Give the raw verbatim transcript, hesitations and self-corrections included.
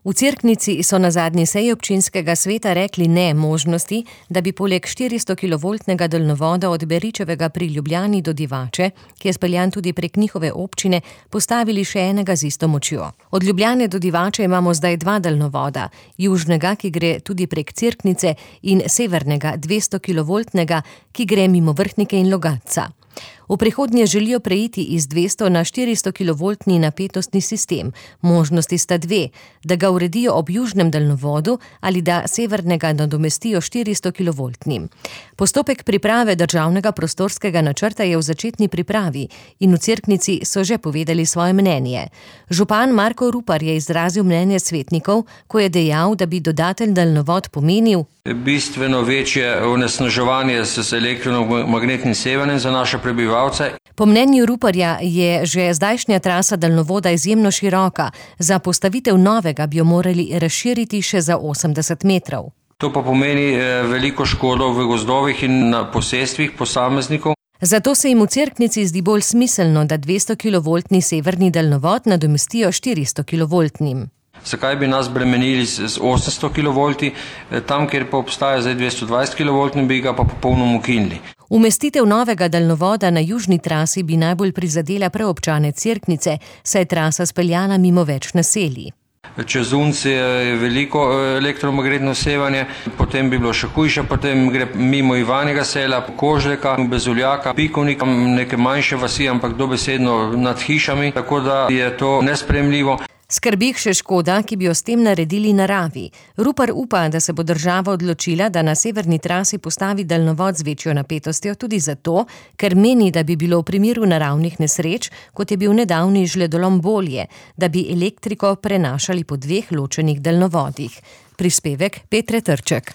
V Cerknici so na zadnji seji občinskega sveta rekli ne možnosti, da bi poleg štiristokilovoltnega daljnovoda od Beričevega pri Ljubljani do Divače, ki je speljan tudi prek njihove občine, postavili še enega z isto močjo. Od Ljubljane do Divače imamo zdaj dva daljnovoda, južnega, ki gre tudi prek Cerknice, in severnega, dvestokilovoltnega, ki gre mimo Vrhnike in Logatca. V prihodnje želijo preiti iz dvesto na štiristokilovoltni napetostni sistem. Možnosti sta dve, da ga uredijo ob južnem daljnovodu ali da severnega nadomestijo štiristokilovoltnim. Postopek priprave državnega prostorskega načrta je v začetni pripravi in v Cerknici so že povedali svoje mnenje. Župan Marko Rupar je izrazil mnenje svetnikov, ko je dejal, da bi dodaten daljnovod pomenil bistveno večje onesnaževanje s elektromagnetnim sevanjem za naše prebivalce. Po mnenju Ruparja je že zdajšnja trasa daljnovoda izjemno široka, za postavitev novega bi jo morali razširiti še za osemdeset metrov. To pa pomeni veliko škodo v gozdovih in na posestvih posameznikov. Zato se jim v Cerknici zdi bolj smiselno, da dvestokilovoltni severni daljnovod nadomestijo štiristokilovoltnim. Zakaj bi nas bremenili z osemsto kilovolti, tam, kjer pa obstaja zdaj dvestodvajset kilovoltni, bi ga pa popolnoma ukinili. Umestitev novega daljnovoda na južni trasi bi najbolj prizadela prav občane Cerknice, saj je trasa speljana mimo več naselij. Čez Unci je veliko elektromagnetno sevanje, potem bi bilo še hujše, potem gre mimo Ivanjega sela, Kožleka, Bezuljaka, Pikovnika, neke manjše vasi, ampak dobesedno nad hišami, tako da je to nesprejemljivo. Skrbi jih še škoda, ki bi jo s tem naredili naravi. Rupar upa, da se bo država odločila, da na severni trasi postavi daljnovod z večjo napetostjo tudi zato, ker meni, da bi bilo v primeru naravnih nesreč, kot je bil nedavni žledolom, bolje, da bi elektriko prenašali po dveh ločenih daljnovodih. Prispevek Petre Trček.